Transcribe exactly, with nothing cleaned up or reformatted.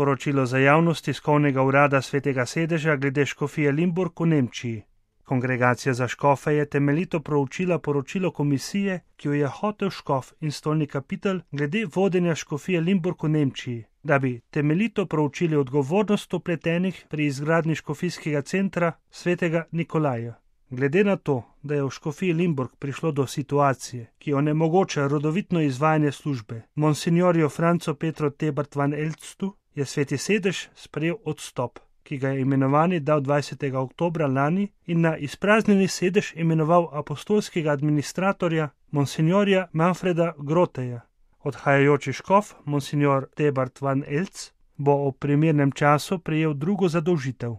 sporočilo za javnost tiskovnega urada Svetega sedeža glede škofije Limburg v Nemčiji. Kongregacija za škofe je temeljito proučila poročilo komisije, ki jo je hotel škof in stolni kapitelj glede vodenja škofije Limburg v Nemčiji, da bi temeljito proučili odgovornost vpletenih pri izgradnji škofijskega centra Svetega Nikolaja. Glede na to, da je v škofiji Limburg prišlo do situacije, ki onemogoča rodovitno izvajanje službe, monsinjorju Francu Petru Tebart van Elstu, je Sveti sedež sprejel odstop, ki ga je imenovani dal dvajsetega oktobra lani in na izpraznjeni sedež imenoval apostolskega administratorja monsinjorja Manfreda Groteja. Odhajajoči škof, monsinjor Tebart van Elst, bo v primernem času prejel drugo zadolžitev.